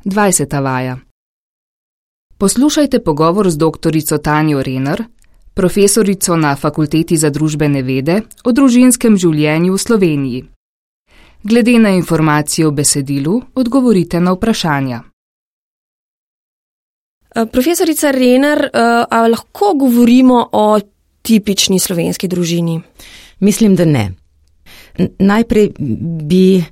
20. vaja. Poslušajte pogovor z doktorico Tanjo Rener, profesorico na Fakulteti za družbene vede, o družinskem življenju v Sloveniji. Glede na informacije v besedilu, odgovorite na vprašanja. Profesorica Rener, a lahko govorimo o tipični slovenski družini? Mislim, da ne. Najprej bi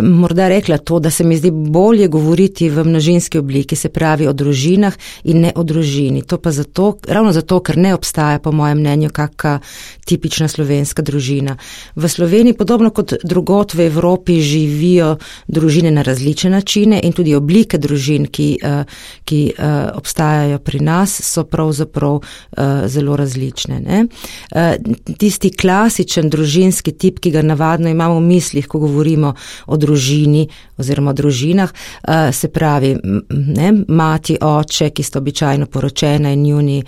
morda rekla to, da se mi zdi bolje govoriti v množinski obliki, se pravi o družinah in ne o družini. To pa ravno zato, ker ne obstaja po mojem mnenju kakšna tipična slovenska družina. V Sloveniji, podobno kot drugot v Evropi, živijo družine na različne načine in tudi oblike družin, ki obstajajo pri nas, so pravzaprav zelo različne. Ne? Tisti klasičen družinski tip, ki ga navadno imamo v mislih, ko govorimo o družini oziroma o družinah, se pravi mati, oče, ki sta običajno poročena in njuni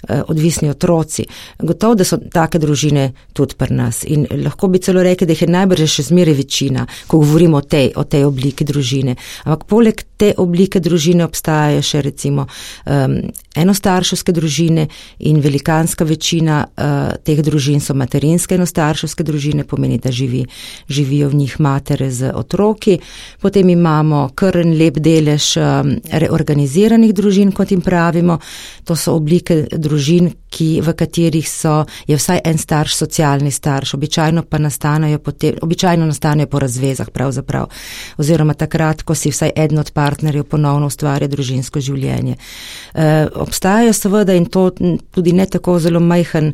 odvisni otroci. Gotovo, da so take družine tudi pri nas in lahko bi celo rekli, da jih je najbrž še zmeraj večina, ko govorimo o tej obliki družine. Ampak poleg te oblike družine obstajajo še recimo enostarševske družine in velikanska večina teh družin so materinske enostarševske družine, pomeni, da živijo v njih matere z otroki. Potem imamo kar en lep delež reorganiziranih družin, kot jim pravimo. To so oblike družin, v katerih je vsaj en starš socialni starš. Običajno nastanejo po razvezah pravzaprav. Oziroma takrat, ko si vsaj eden od partnerjev ponovno ustvarja družinsko življenje. Obstajajo seveda in to tudi ne tako zelo majhen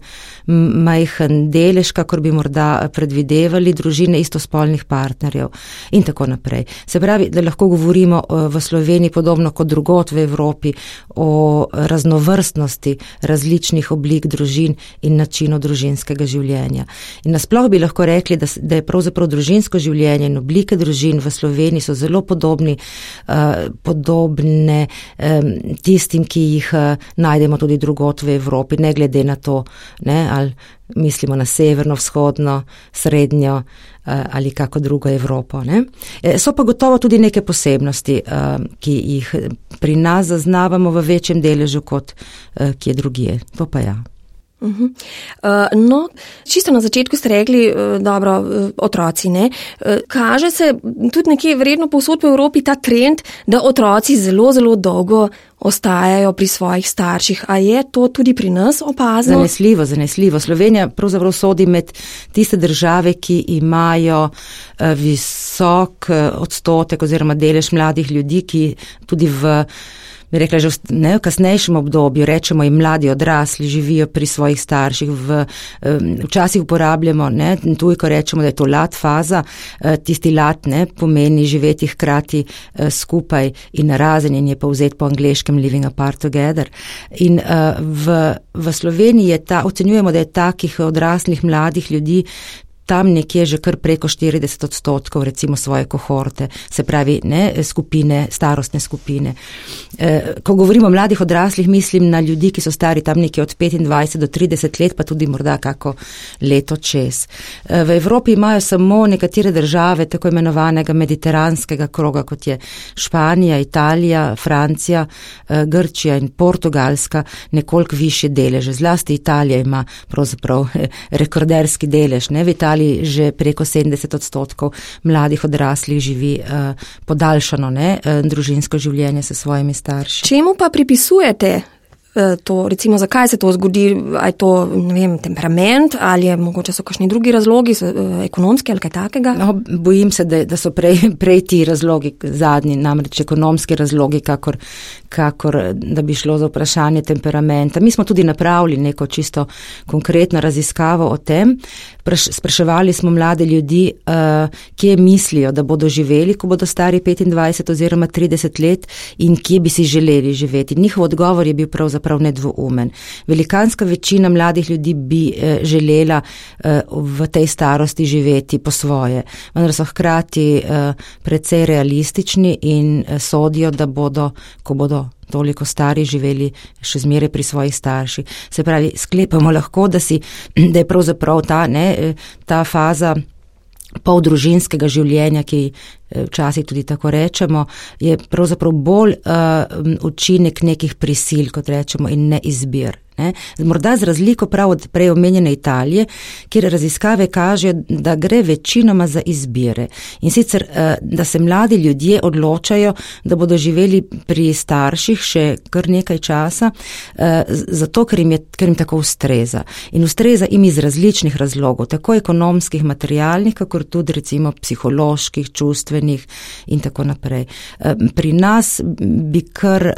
delež, kakor bi morda predvidevali, družine istospolnih partnerjev in tako naprej. Se pravi, da lahko govorimo v Sloveniji podobno kot drugot v Evropi o raznovrstnosti različnih oblik družin in načinov družinskega življenja. In nasploh bi lahko rekli, da je pravzaprav družinsko življenje in oblike družin v Sloveniji so zelo podobne tistim, ki jih najdemo tudi drugot v Evropi, ne glede na to, ali mislimo na severno, vzhodno, srednjo ali kako drugo Evropo. Ne? So pa gotovo tudi neke posebnosti, ki jih pri nas zaznavamo v večjem deležu kot kje drugje. To pa ja. No, čisto na začetku ste rekli, dobro, otroci, ne? Kaže se tudi nekje verjetno povsod po Evropi ta trend, da otroci zelo, zelo dolgo ostajajo pri svojih starših. A je to tudi pri nas opazno? Zanesljivo. Slovenija pravzaprav sodi med tiste države, ki imajo visok odstotek oziroma delež mladih ljudi, ki tudi bi rekla, že v kasnejšem obdobju, rečemo in mladi odrasli, živijo pri svojih starših. Včasih uporabljamo, tujko rečemo, da je to lat faza, tisti lat pomeni živeti hkrati skupaj in narazen in je povzet po angleškem living apart together. In v Sloveniji ocenjujemo, da je takih odraslih mladih ljudi tam nekje že kar preko 40% recimo svoje kohorte, se pravi starostne skupine. Ko govorimo o mladih odraslih, mislim na ljudi, ki so stari tam nekje od 25 do 30 let, pa tudi morda kako leto čez. V Evropi imajo samo nekatere države tako imenovanega mediteranskega kroga, kot je Španija, Italija, Francija, Grčija in Portugalska, nekoliko višje deleže. Zlasti Italija ima pravzaprav rekorderski delež. V Italiji že preko 70% mladih odraslih živi podaljšano družinsko življenje s svojimi starši. Čemu pa pripisujete to, recimo, zakaj se to zgodi? A je to, temperament ali je mogoče so kakšni drugi razlogi, ekonomski ali kaj takega? No, bojim se, da so prej ti razlogi zadnji, namreč ekonomski razlogi, kakor da bi šlo za vprašanje temperamenta. Mi smo tudi napravili neko čisto konkretno raziskavo o tem. Spraševali smo mlade ljudi, kje mislijo, da bodo živeli, ko bodo stari 25 oziroma 30 let in kje bi si želeli živeti. Njihov odgovor je bil pravzaprav nedvoumen. Velikanska večina mladih ljudi bi želela v tej starosti živeti po svoje, vendar so hkrati precej realistični in sodijo, da bodo, ko bodo toliko stari, živeli še zmeraj pri svojih starših. Se pravi, sklepamo lahko, da je pravzaprav ta faza poldružinskega življenja, ki včasih tudi tako rečemo, je pravzaprav bolj učinek nekih prisil, kot rečemo, in ne izbir. Ne? Morda z razliko prav od prej omenjene Italije, kjer raziskave kažejo, da gre večinoma za izbire. In sicer, da se mladi ljudje odločajo, da bodo živeli pri starših še kar nekaj časa, zato, ker jim tako ustreza. In ustreza jim iz različnih razlogov, tako ekonomskih, materialnih, kakor tudi recimo psiholoških, čustvenih in tako naprej. Pri nas bi kar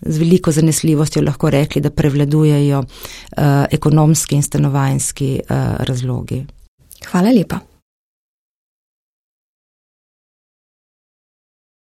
z veliko zanesljivostjo lahko rekli, da prevladujejo ekonomski in stanovanjski razlogi. Hvala lepa.